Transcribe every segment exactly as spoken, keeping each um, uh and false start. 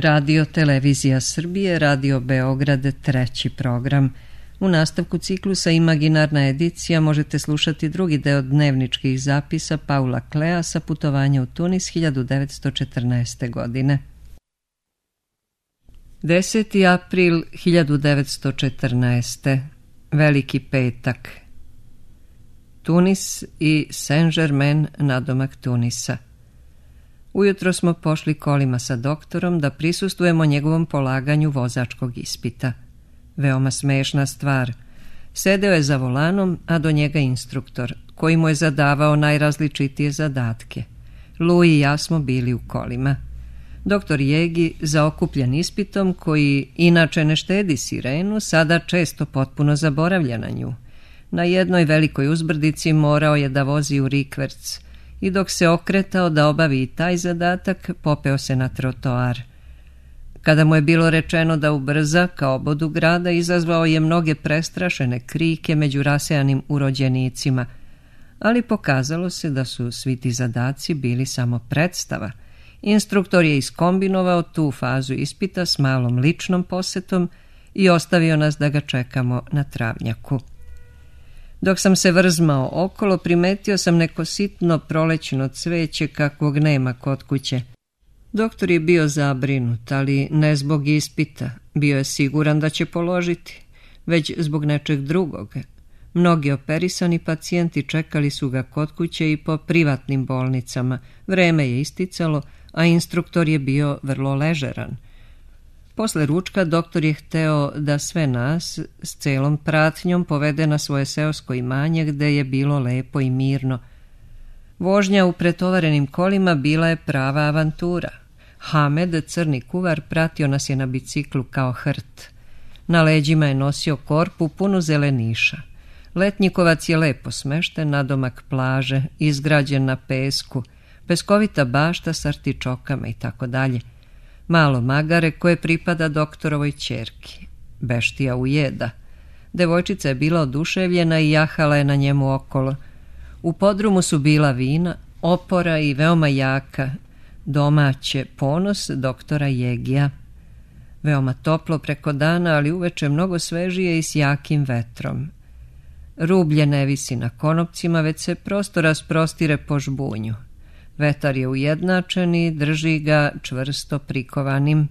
Radio Televizija Srbije, Radio Beograd, treći program. U nastavku ciklusa Imaginarna edicija možete slušati drugi deo dnevničkih zapisa Paula Klea sa putovanja u Tunis hiljadu devetsto četrnaeste. godine. deseti april hiljadu devetsto četrnaeste. Veliki petak. Tunis i Saint-Germain nadomak Tunisa. Ujutro smo pošli kolima sa doktorom da prisustvujemo njegovom polaganju vozačkog ispita. Veoma smešna stvar. Sedeo je za volanom, a do njega instruktor, koji mu je zadavao najrazličitije zadatke. Louis i ja smo bili u kolima. Doktor Jegi, zaokupljen ispitom, koji inače ne štedi sirenu, sada često potpuno zaboravlja na nju. Na jednoj velikoj uzbrdici morao je da vozi u rikverc i dok se okretao da obavi i taj zadatak, popeo se na trotoar. Kada mu je bilo rečeno da ubrza ka obodu grada, izazvao je mnoge prestrašene krike među rasejanim urođenicima, ali pokazalo se da su svi ti zadaci bili samo predstava. Instruktor je iskombinovao tu fazu ispita s malom ličnom posetom i ostavio nas da ga čekamo na travnjaku. Dok sam se vrzmao okolo, primetio sam neko sitno prolećno cveće kakvog nema kod kuće. Doktor je bio zabrinut, ali ne zbog ispita. Bio je siguran da će položiti, već zbog nečeg drugog. Mnogi operisani pacijenti čekali su ga kod kuće i po privatnim bolnicama. Vreme je isticalo, a instruktor je bio vrlo ležeran. Posle ručka doktor je hteo da sve nas s celom pratnjom povede na svoje seosko imanje gde je bilo lepo i mirno. Vožnja u pretovarenim kolima bila je prava avantura. Hamed, crni kuvar, pratio nas je na biciklu kao hrt. Na leđima je nosio korpu punu zeleniša. Letnjikovac je lepo smešten nadomak plaže, izgrađen na pesku, peskovita bašta s artičokama i tako dalje. Malo magare koje pripada doktorovoj ćerki. Beštija ujeda. Devojčica je bila oduševljena i jahala je na njemu okolo. U podrumu su bila vina, opora i veoma jaka, domaće, ponos doktora Jegija. Veoma toplo preko dana, ali uveče mnogo svežije i s jakim vetrom. Rublje ne visi na konopcima, već se prosto rasprostire po žbunju. Vetar je ujednačen i drži ga čvrsto prikovanim.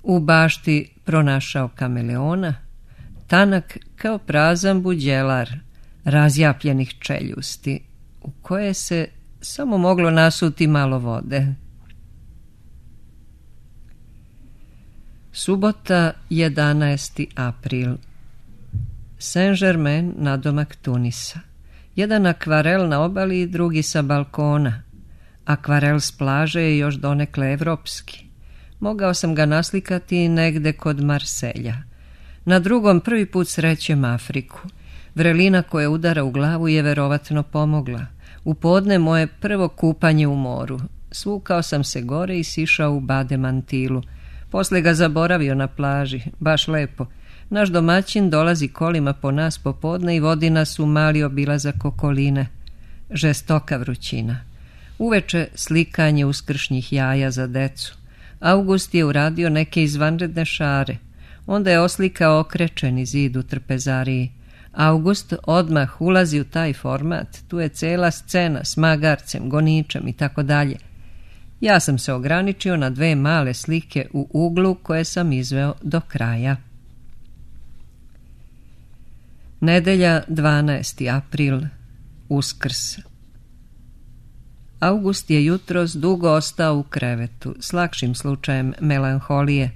U bašti pronašao kameleona, tanak kao prazan buđelar, razjapljenih čeljusti, u koje se samo moglo nasuti malo vode. Subota, jedanaesti april. Saint-Germain nadomak Tunisa. Jedan akvarel na obali i drugi sa balkona. Akvarel s plaže je još donekle evropski. Mogao sam ga naslikati negde kod Marselja. Na drugom prvi put srećem Afriku. Vrelina koja udara u glavu je verovatno pomogla. U podne moje prvo kupanje u moru. Svukao sam se gore i sišao u bade mantilu. Posle ga zaboravio na plaži, baš lepo. Naš domaćin dolazi kolima po nas popodne i vodi nas u mali obilazak okoline. Žestoka vrućina. Uveče slikanje uskršnjih jaja za decu. August je uradio neke izvanredne šare. Onda je oslikao okrečeni zid u trpezariji. August odmah ulazi u taj format. Tu je cela scena s magarcem, goničem i tako dalje. Ja sam se ograničio na dve male slike u uglu koje sam izveo do kraja. Nedelja, dvanaesti april. Uskrs. August je jutros dugo ostao u krevetu, s lakšim slučajem melanholije,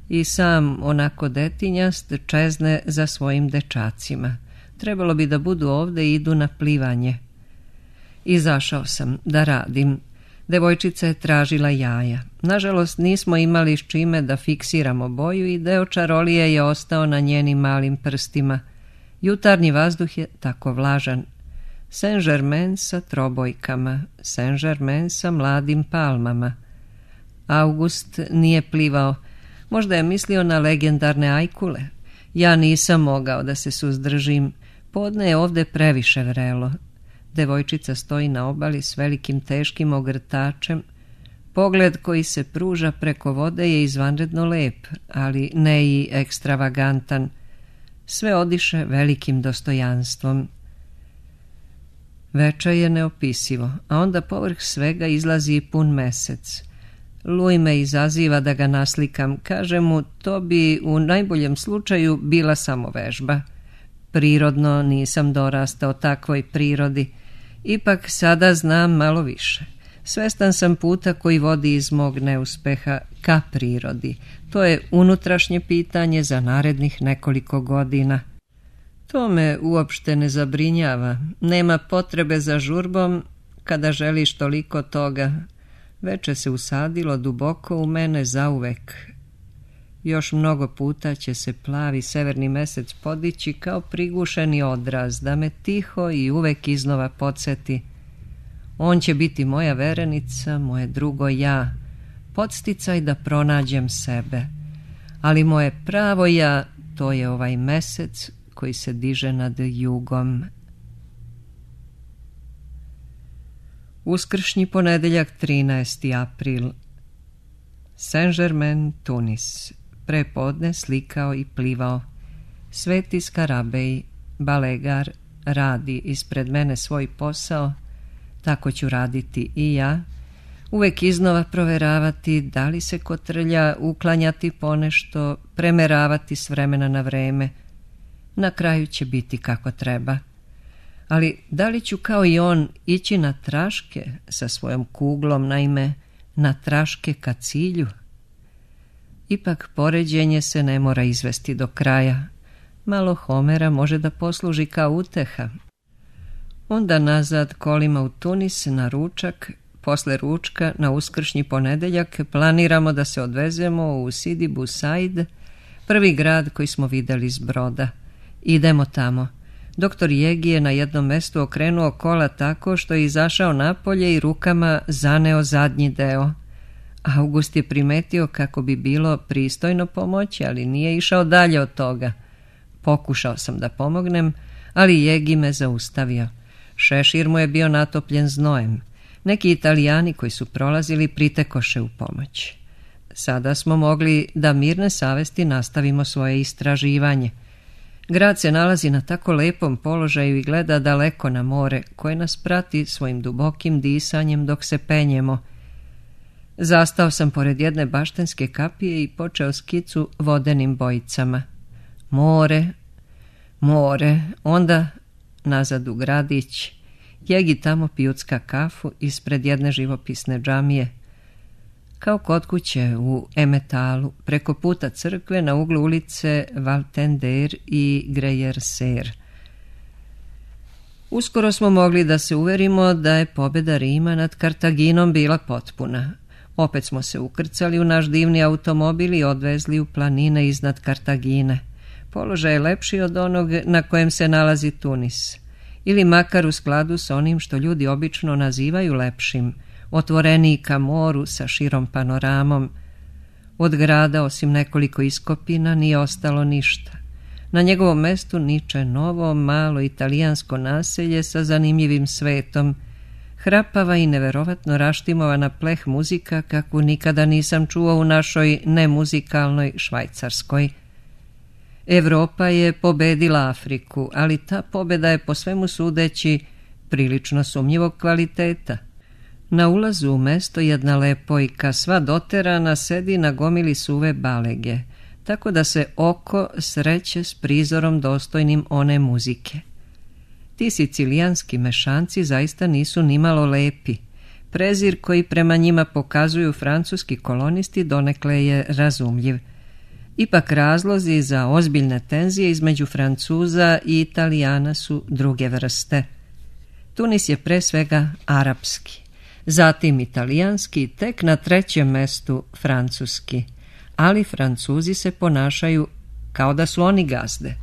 i sam, onako detinjast, čezne za svojim dečacima. Trebalo bi da budu ovde i idu na plivanje. Izašao sam da radim. Devojčica je tražila jaja. Nažalost, nismo imali s čime da fiksiramo boju i deo čarolije je ostao na njenim malim prstima. Jutarnji vazduh je tako vlažan. Saint-Germain sa trobojkama, Saint-Germain sa mladim palmama. August nije plivao. Možda je mislio na legendarne ajkule. Ja nisam mogao da se suzdržim. Podne je ovde previše vrelo. Devojčica stoji na obali s velikim teškim ogrtačem. Pogled koji se pruža preko vode je izvanredno lep, ali ne i ekstravagantan. Sve odiše velikim dostojanstvom. Veče je neopisivo, a onda povrh svega izlazi i pun mesec. Luj me izaziva da ga naslikam, kaže mu to bi u najboljem slučaju bila samo vežba. Prirodno nisam dorastao takvoj prirodi, ipak sada znam malo više. Svestan sam puta koji vodi iz mog neuspeha ka prirodi. To je unutrašnje pitanje za narednih nekoliko godina. To me uopšte ne zabrinjava. Nema potrebe za žurbom kada želiš toliko toga. Veče se usadilo duboko u mene zauvek. Još mnogo puta će se plavi severni mesec podići kao prigušeni odraz, da me tiho i uvek iznova podsjeti. On će biti moja verenica, moje drugo ja, podsticaj da pronađem sebe. Ali moje pravo ja, to je ovaj mesec koji se diže nad jugom. Uskršnji ponedeljak, trinaesti april. Saint-Germain, Tunis. Prepodne slikao i plivao. Sveti Skarabej, balegar, radi ispred mene svoj posao. Tako ću raditi i ja. Uvek iznova proveravati da li se kotrlja, uklanjati ponešto, premeravati s vremena na vreme. Na kraju će biti kako treba. Ali da li ću kao i on ići na traške sa svojom kuglom, naime na traške ka cilju? Ipak poređenje se ne mora izvesti do kraja. Malo Homera može da posluži kao uteha. Onda nazad kolima u Tunis na ručak. Posle ručka na uskršnji ponedeljak planiramo da se odvezemo u Sidi Bou Said, prvi grad koji smo videli s broda. Idemo tamo. Doktor Jegi je na jednom mestu okrenuo kola tako što je izašao napolje i rukama zaneo zadnji deo. August je primetio kako bi bilo pristojno pomoći, ali nije išao dalje od toga. Pokušao sam da pomognem, ali Jegi me zaustavio. Šešir mu je bio natopljen znojem. Neki Italijani koji su prolazili pritekoše u pomoć. Sada smo mogli da mirne savesti nastavimo svoje istraživanje. Grad se nalazi na tako lepom položaju i gleda daleko na more, koje nas prati svojim dubokim disanjem dok se penjemo. Zastao sam pored jedne baštenske kapije i počeo skicu vodenim bojicama. More, more, onda nazad u gradić. Jegi tamo pijucka kafu ispred jedne živopisne džamije. Kao kod kuće u Emetalu, preko puta crkve na uglu ulice Valtender i Grejerser. Uskoro smo mogli da se uverimo da je pobjeda Rima nad Kartaginom bila potpuna. Opet smo se ukrcali u naš divni automobil i odvezli u planine iznad Kartagine. Položaj je lepši od onog na kojem se nalazi Tunis, ili makar u skladu s onim što ljudi obično nazivaju lepšim, otvoreniji ka moru sa širom panoramom. Od grada, osim nekoliko iskopina, nije ostalo ništa. Na njegovom mestu niče novo, malo italijansko naselje sa zanimljivim svetom, hrapava i neverovatno raštimovana pleh muzika kakvu nikada nisam čuo u našoj nemuzikalnoj Švajcarskoj. Evropa je pobedila Afriku, ali ta pobjeda je po svemu sudeći prilično sumnjivog kvaliteta. Na ulazu u mesto jedna lepojka, sva doterana, sedi na gomili suve balege, tako da se oko sreće s prizorom dostojnim one muzike. Ti sicilijanski mešanci zaista nisu nimalo lepi. Prezir koji prema njima pokazuju francuski kolonisti donekle je razumljiv. Ipak razlozi za ozbiljne tenzije između Francuza i Italijana su druge vrste. Tunis je pre svega arapski, zatim italijanski, tek na trećem mestu francuski, ali Francuzi se ponašaju kao da su oni gazde.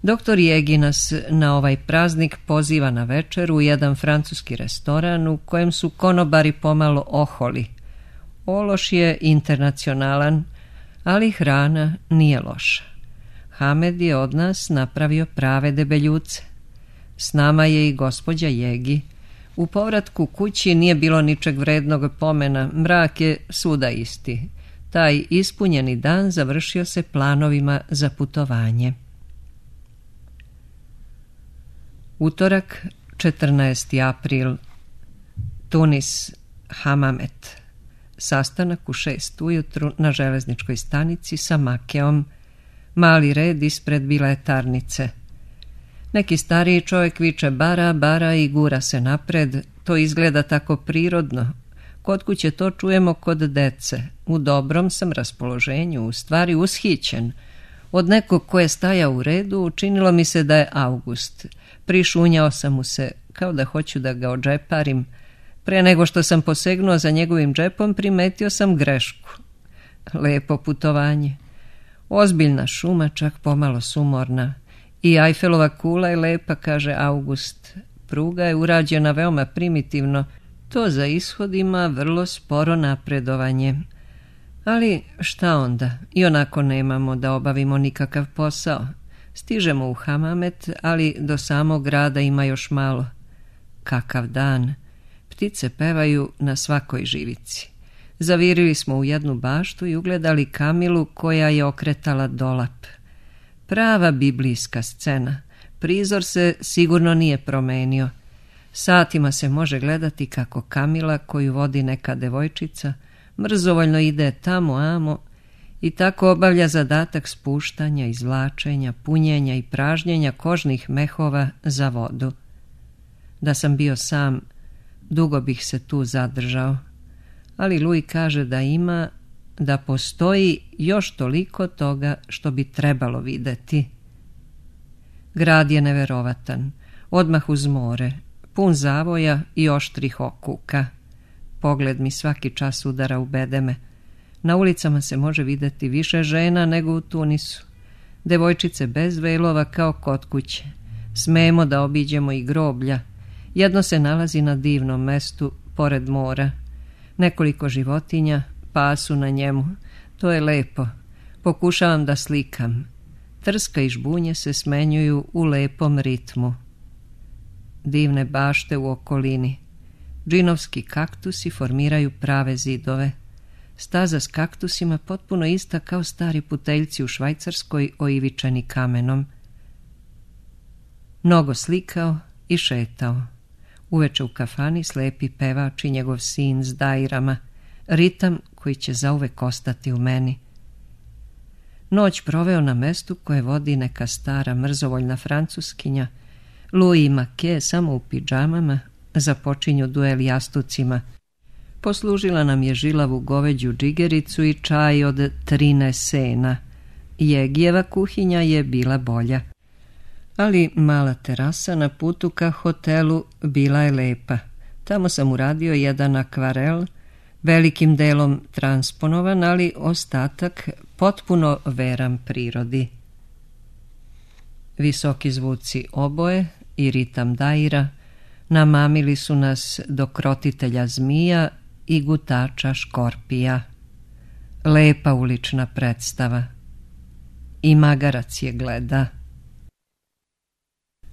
Doktor Jegi nas na ovaj praznik poziva na večer u jedan francuski restoran u kojem su konobari pomalo oholi. Ološ je internacionalan, ali hrana nije loša. Hamed je od nas napravio prave debeljuce. S nama je i gospođa Jegi. U povratku kući nije bilo ničeg vrednog pomena, mrak je svuda isti. Taj ispunjeni dan završio se planovima za putovanje. Utorak, četrnaesti april, Tunis, Hamamet. Sastanak u šest ujutru na železničkoj stanici sa Makeom. Mali red ispred biletarnice. Neki stariji čovjek viče bara, bara i gura se napred. To izgleda tako prirodno. Kod kuće to čujemo kod dece. U dobrom sam raspoloženju, u stvari ushićen. Od nekog ko je stajao u redu učinilo mi se da je August. Prišunjao sam mu se kao da hoću da ga odžeparim. Pre nego što sam posegnuo za njegovim džepom primetio sam grešku. Lepo putovanje. Ozbiljna šuma, čak pomalo sumorna. I Eiffelova kula je lepa, kaže August. Pruga je urađena veoma primitivno. To za ishod ima vrlo sporo napredovanje. Ali šta onda? I onako nemamo da obavimo nikakav posao. Stižemo u Hamamet, ali do samog grada ima još malo. Kakav dan! Ptice pevaju na svakoj živici. Zavirili smo u jednu baštu i ugledali Kamilu koja je okretala dolap. Prava biblijska scena. Prizor se sigurno nije promenio. Satima se može gledati kako Kamila, koju vodi neka devojčica, mrzovoljno ide tamo amo i tako obavlja zadatak spuštanja, izvlačenja, punjenja i pražnjenja kožnih mehova za vodu. Da sam bio sam, dugo bih se tu zadržao, ali Louis kaže da ima, da postoji još toliko toga što bi trebalo videti. Grad je neverovatan, odmah uz more, pun zavoja i oštrih okuka. Pogled mi svaki čas udara u bedeme. Na ulicama se može videti više žena nego u Tunisu. Devojčice bez velova kao kod kuće. Smemo da obiđemo i groblja. Jedno se nalazi na divnom mestu, pored mora. Nekoliko životinja pasu na njemu. To je lepo. Pokušavam da slikam. Trska i žbunje se smenjuju u lepom ritmu. Divne bašte u okolini. Džinovski kaktusi formiraju prave zidove. Staza s kaktusima potpuno ista kao stari puteljci u Švajcarskoj oivičeni kamenom. Mnogo slikao i šetao. Uveče u kafani slepi pevač i njegov sin s dajrama. Ritam koji će zauvek ostati u meni. Noć proveo na mestu koje vodi neka stara mrzovoljna francuskinja. Louis i Make samo u pidžamama započinju duel jastucima. Poslužila nam je žilavu goveđu džigericu i čaj od trine sena. Jegijeva kuhinja je bila bolja. Ali mala terasa na putu ka hotelu bila je lepa. Tamo sam uradio jedan akvarel, velikim delom transponovan, ali ostatak potpuno veran prirodi. Visoki zvuci oboje i ritam daira namamili su nas do krotitelja zmija i gutača škorpija. Lepa ulična predstava. I magarac je gleda.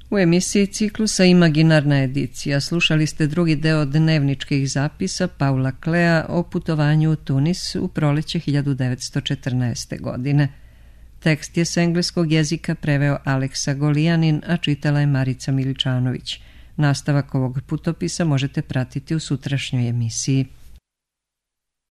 U emisiji ciklusa Imaginarna edicija slušali ste drugi deo dnevničkih zapisa Paula Klea o putovanju u Tunis u proleće hiljadu devetsto četrnaeste. godine. Tekst je s engleskog jezika preveo Aleksa Golijanin, a čitala je Marica Miličanović. Nastavak ovog putopisa možete pratiti u sutrašnjoj emisiji.